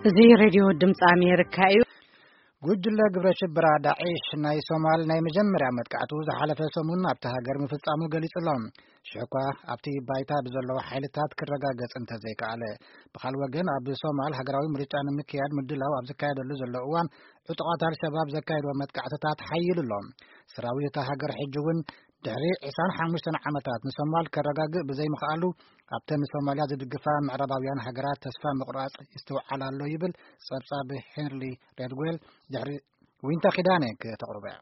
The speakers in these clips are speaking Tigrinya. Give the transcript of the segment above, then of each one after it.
እዚ ሬድዮ ድምፂ ኣሜሪካ እዩ። ጉጅለ ግብረ ሽበራ ዳዒሽ ናይ ሶማል ናይ መጀመርያ መጥቃዕቱ ዝሓለፈ ሰሙን ኣብቲ ሃገር ምፍጻሙ ገሊጹ ኣሎ። ሽሕኳ ኣብቲ ባይታ ብዘለዉ ሓይልታት ክረጋገጽ እንተዘይከኣለ፣ ብኻል ወገን ኣብ ሶማል ሃገራዊ ምርጫ ንምክያድ ምድላው ኣብ ዝካየደሉ ዘሎ እዋን ዕጡቓት ኣልሸባብ ዘካየድዎ መጥቃዕትታት ሓይሉ ኣሎ። ሰራዊት እታ ሃገር ሕጂ እውን ድሕሪ ዕስራን ሓሙሽተን ዓመታት ንሶማል ከረጋግእ ብዘይምኽኣሉ፣ ኣብተን ንሶማልያ ዝድግፋ ምዕራባውያን ሃገራት ተስፋ ምቑራጽ ይስተውዓል ኣሎ ይብል ጸብጻብ ሄንሪ ሬድዌል። ድሕሪ ዊንታ ኪዳነ ከተቕርቦ እያ።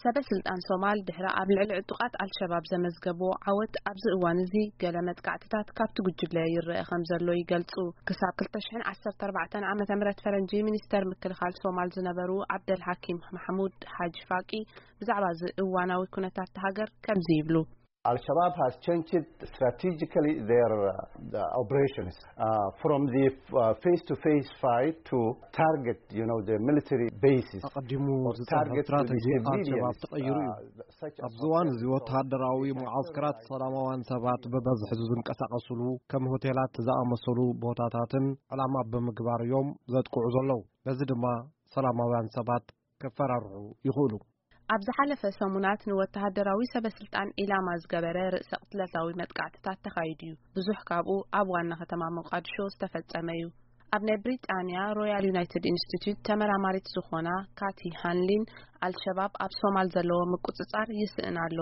ሰበ ስልጣን ሶማል ድሕሪ ኣብ ልዕሊ ዕጡቓት ኣልሸባብ ዘመዝገብዎ ዓወት ኣብዚ እዋን እዚ ገለ መጥቃዕትታት ካብቲ ጉጅለ ይረአ ከም ዘሎ ይገልጹ። ክሳብ ክልተ ሽሕን ዓሰርተ ኣርባዕተን ዓመተ ምህረት ፈረንጂ ሚኒስተር ምክልኻል ሶማል ዝነበሩ ዓብደል ሓኪም ማሕሙድ ሓጂ ፋቂ ብዛዕባ እዚ እዋናዊ ኩነታት ሃገር ከምዚ ይብሉ። Al-Shabaab has changed strategically their uh, the operations uh, from the uh, face-to-face fight to target, you know, the military bases. ኣቐዲሙ ዝጸንሐ ስትራተጂ ኣልሸባብ ተቐይሩ እዩ። ኣብዚ እዋን እዚ ወተሃደራዊ መዓስከራት ሰላማውያን ሰባት ብበዝሒ ዝንቀሳቐስሉ ከም ሆቴላት ዝኣመሰሉ ቦታታትን ዕላማ ብምግባር እዮም ዘጥቅዑ ዘለዉ። በዚ ድማ ሰላማውያን ሰባት ከፈራርሑ ይኽእሉ። ኣብ ዝሓለፈ ሰሙናት ንወተሃደራዊ ሰበ ስልጣን ኢላማ ዝገበረ ርእሰ ቅትለታዊ መጥቃዕትታት ተኻይዱ እዩ። ብዙሕ ካብኡ ኣብ ዋና ከተማ ሞቃዲሾ ዝተፈጸመ እዩ። ኣብ ናይ ብሪጣንያ ሮያል ዩናይትድ ኢንስቲትዩት ተመራማሪት ዝኾና ካቲ ሃንሊን፣ ኣልሸባብ ኣብ ሶማል ዘለዎ ምቁጽጻር ይስእን ኣሎ፣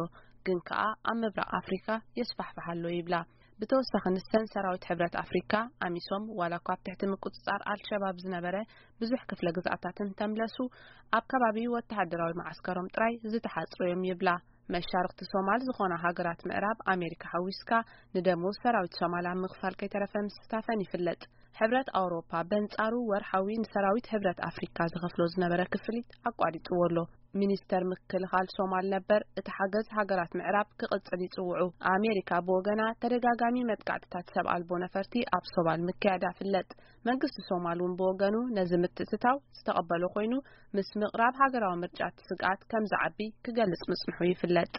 ግን ከኣ ኣብ ምብራቕ ኣፍሪካ የስፋሕፍሕ ኣሎ ይብላ። ብተወሳኺ ንሰን ሰራዊት ሕብረት ኣፍሪካ፣ ኣሚሶም፣ ዋላ እኳ ኣብ ትሕቲ ምቁጽጻር ኣልሸባብ ዝነበረ ብዙሕ ክፍለ ግዝኣታትን ተምለሱ፣ ኣብ ከባቢ ወተሃደራዊ መዓስከሮም ጥራይ ዝተሓጽሩ እዮም ይብላ። መሻርኽቲ ሶማል ዝኾና ሃገራት ምዕራብ ኣሜሪካ ሓዊስካ ንደሞዝ ሰራዊት ሶማል ኣብ ምኽፋል ከይተረፈ ምስታፈን ይፍለጥ። ሕብረት ኣውሮፓ በንጻሩ ወርሓዊ ንሰራዊት ሕብረት ኣፍሪካ ዝኸፍሎ ዝነበረ ክፍሊት ኣቋሪጽዎ ኣሎ። ሚኒስተር ምክልኻል ሶማል ነበር እቲ ሓገዝ ሃገራት ምዕራብ ክቕጽል ይጽውዑ። ኣሜሪካ ብወገና ተደጋጋሚ መጥቃዕትታት ሰብ ኣልቦ ነፈርቲ ኣብ ሶማል ምክያዳ ፍለጥ። መንግስቲ ሶማል እውን ብወገኑ ነዚ ምትእትታው ዝተቐበሎ ኮይኑ፣ ምስ ምቕራብ ሃገራዊ ምርጫ እቲ ስግኣት ከም ዝዓቢ ክገልጽ ምጽንሑ ይፍለጥ።